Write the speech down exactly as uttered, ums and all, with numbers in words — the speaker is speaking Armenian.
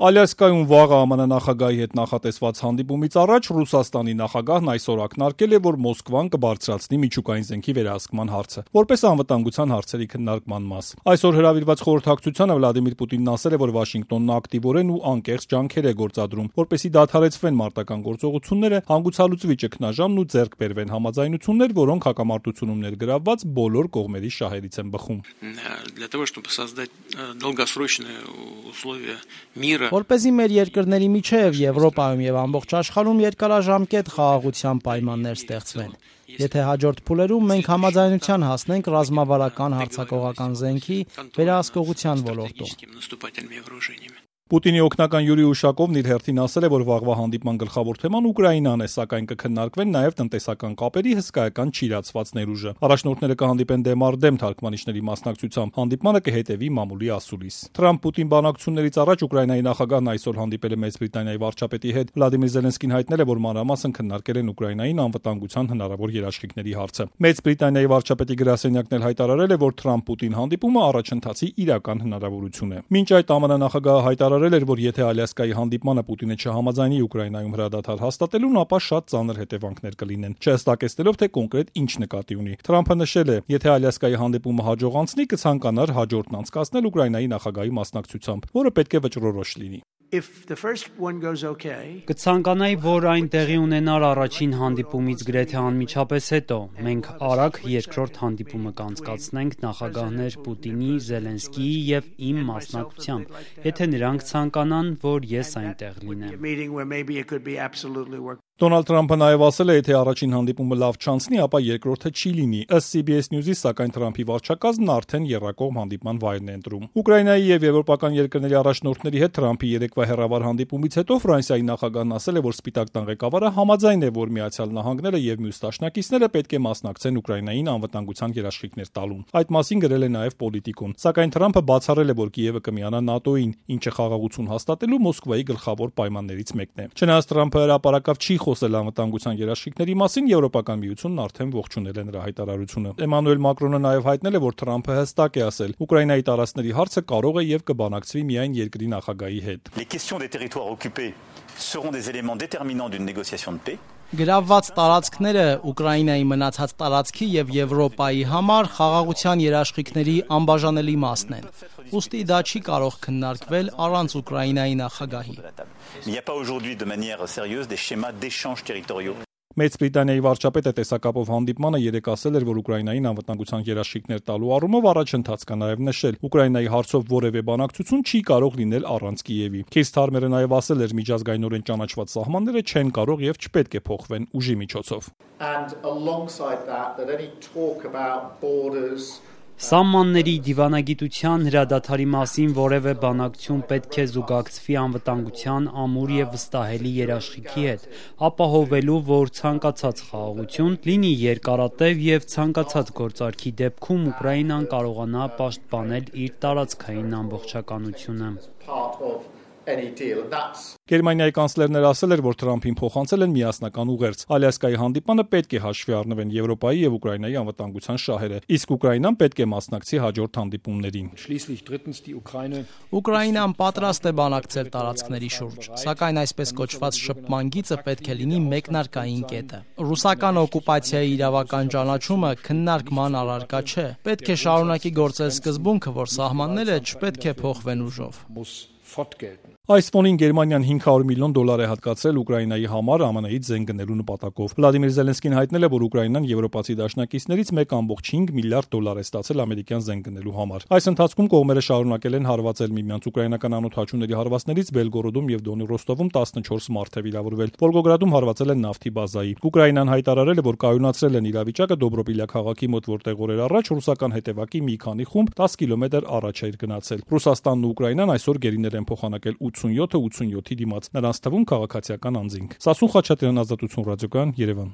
Ալյասկայում վաղը ԱՄՆ նախագահի հետ նախատեսված հանդիպումից առաջ Ռուսաստանի նախագահն այսօր ակնարկել է, որ Մոսկվան կբարձրացնի միջուկային զենքի վերահսկման հարցը, որպես անվտանգության հարցերի քննարկման մաս։ Այսօր հրավիրված խորհրդակցությանը Վլադիմիր Պուտինն ասել է, որ Վաշինգտոնն ակտիվորեն ու անկեղծ ջանքեր է գործադրում, որպեսզի դադարեցվեն մարտական գործողությունները, հանգուցալուծվի ճգնաժամն ու ձեռք բերվեն համաձայնություններ, որոնք հակամարտությունում ներգրավված բոլոր կողմերի շահերից են բխում։ Որպեսզի մեր երկրների միջև Եվրոպայում եւ ամբողջ աշխարհում երկարաժամկետ խաղաղության պայմաններ ստեղծվեն։ Եթե հաջորդ փուլերում մենք համաձայնության հասնենք ռազմավարական հարձակողական զենքի վերահսկողության ոլորտում։ Պուտինի օգնական Յուրի Ուշակովն իր հերթին ասել է, որ վաղվա հանդիպման գլխավոր թեման Ուկրաինան է, սակայն կքննարկվեն նաև տնտեսական կապերի հսկայական չիրացված ներուժը։ Առաջնորդները կհանդիպեն դեմ առ դեմ թարգմանիչների մասնակցությամբ։ Հանդիպմանը կհետևի մամուլի ասուլիս։ Թրամփ-Պուտին բանակցություններից առաջ Ուկրաինայի նախագահն այսօր հանդիպել է Մեծ Բրիտանիայի վարչապետի հետ։ Վլադիմիր Զելենսկին հայտնել է, որ մանրամասն քննարկել են Ուկրաինային անվտանգության հնարավոր երաշխիքների հարցը։ Մեծ Բրիտանիայի վարչապետի գրասենյակն էլ հայտարարել է, որ Թրամփ-Պուտին հանդիպումը առաջընթացի իրական հնարավորություն է։ Մինչ այդ ԱՄՆ նախագահը հայտարարել էր, որ եթե Ալյասկայի հանդիպմանը Պուտինը չհամաձայնի Ուկրաինայում հրադադար հաստատելուն, ապա շատ ծանր հետևանքներ կլինեն, չհստակեցնելով, թե կոնկրետ ինչ նկատի ունի։ Թրամփը նշել է, եթե Ալյասկայի հանդիպումը հաջող անցնի, կցանկանար հաջորդն անցկացնել Ուկրաինայի նախագահի մասնակցությամբ, որը պետք է վճռորոշ լինի։ Կցանկանայի, որ այն տեղի ունենար առաջին հանդիպումից գրեթե անմիջապես հետո։ Մենք արագ երկրորդ հանդիպումը կանցկացնենք նախագահներ Պուտինի, Զելենսկիի եւ իմ մասնակցությամբ, եթե նրանք ցանկանան, որ ես այնտեղ լինեմ։ Դոնալդ Թրամփը նաև ասել է, եթե առաջին հանդիպումը լավ չանցնի, ապա երկրորդը չի լինի։ Ըստ C B S News-ի, սակայն Թրամփի վարչակազմն արդեն եռակողմ հանդիպման վայրն է ընտրում։ Ուկրաինայի եւ եվրոպական երկրների առաջնորդների հետ Թրամփի երեկվա հեռավար հանդիպումից հետո Ֆրանսիայի նախագահն ասել է, որ Սպիտակ տան ղեկավարը համաձայն է, որ Միացյալ Նահանգները եւ մյուս դաշնակիցները պետք է մասնակցեն Ուկրաինային անվտանգության երաշխիքներ տալուն։ Այդ մասին գրել է նաև Պոլիտիկոն։ Սակայն Թրամփը բացառել է, որ Կիևը կմիանա ՆԱՏՕ-ին, ինչը խաղաղություն հաստատելու Մոսկվայի գլխավոր պայմաններից մեկն է։ Չնայած Թրամփը հրապարակավ չի խոսել անվտանգության երաշխիքների մասին, Եվրոպական միությունն արդեն ողջունել է նրա հայտարարությունը։ Էմանուել Մակրոնը նաև հայտնել է, որ Թրամփը հստակ է ասել, Ուկրաինայի տարածքների հարցը կարող է եւ կբանակցվի միայն երկրի նախագահի հետ։ Գրավված տարածքները Ուկրաինայի մնացած տարածքի եւ Եվրոպայի համար խաղաղության երաշխիքների անբաժանելի մասն են։ Ուստի դա չի կարող քննարկվել առանց Ուկրաինայի նախագահի։ Մեծ Բրիտանիայի վարչապետը տեսակապով հանդիպմանը երեկ ասել էր, որ Ուկրաինային անվտանգության երաշխիքներ տալու առումով առաջընթաց կա, նաև նշել, Ուկրաինայի հարցով որևէ բանակցություն չի կարող լինել առանց Կիևի։ Քիր Սթարմերը նաև ասել էր, միջազգայինորեն ճանաչված սահմանները չեն կարող եւ չպետք է փոխվեն ուժի միջոցով։ Սահմանների դիվանագիտության հրադադարի մասին որևէ բանակցություն պետք է զուգակցվի անվտանգության ամուր եւ վստահելի երաշխիքի հետ, ապահովելու, որ ցանկացած խաղաղություն լինի երկարատև եւ ցանկացած գործարքի դեպքում Ուկրաինան կարողանա պաշտպանել իր տարածքային ամբողջականությունը։ Գերմանիայի կանցլերն էլ ասել էր, որ Թրամփին փոխանցել են միասնական ուղերձ։ Ալյասկայի հանդիպմանը պետք է հաշվի առնվեն Եվրոպայի եւ Ուկրաինայի անվտանգության շահերը, իսկ Ուկրաինան պետք է մասնակցի հաջորդ հանդիպումներին։ Ուկրաինան պատրաստ է բանակցել տարածքների շուրջ, սակայն այսպես կոչված շփման գիծը պետք է լինի մեկնարկային կետը։ Ռուսական օկուպացիայի իրավական ճանաչումը քննարկման առարկա չէ։ Պետք է շարունակի գործել սկզբունքը, որ սահմանները չպետք է փոխվեն ուժով։ Այս ֆոնին Գերմանիան հինգ հարյուր միլիոն դոլար է հատկացրել Ուկրաինայի համար ԱՄՆ-ից զենք գնելու նպատակով։ Վլադիմիր Զելենսկին հայտնել է, որ Ուկրաինան եվրոպացի դաշնակիցներից մեկ կόμ չինգ միլիարդ դոլար է ստացել ամերիկյան զենք գնելու համար։ Այս ընթացքում կողմերը շարունակել են հարվածել միմյանց։ Ուկրաինական անօդաչուների հարվածներից Բելգորոդում եւ Դոնի Ռոստովում տասնչորս մարդ է վիրավորվել։ Վոլգոգրադում հարվածել են նավթի բազայի։ Ուկրաինան հայտարարել է, որ կայունացրել են իրավիճակը Դոբրոպիլյա քաղաքի մոտ, որտեղ օրեր առաջ ռուսական հետևակի մի քանի խումբ դես կիլոմետր առաջ էր գնացել։ Ռուսաստանն ու Ուկրաինան այսօր գերիներ են փոխանակել ութսունյոթը ութսունյոթի դիմաց, նրանց թվում քաղաքացիական անձինք։ Սասուն Խաչատրյան, Ազատություն ռադիոկայան, Երևան։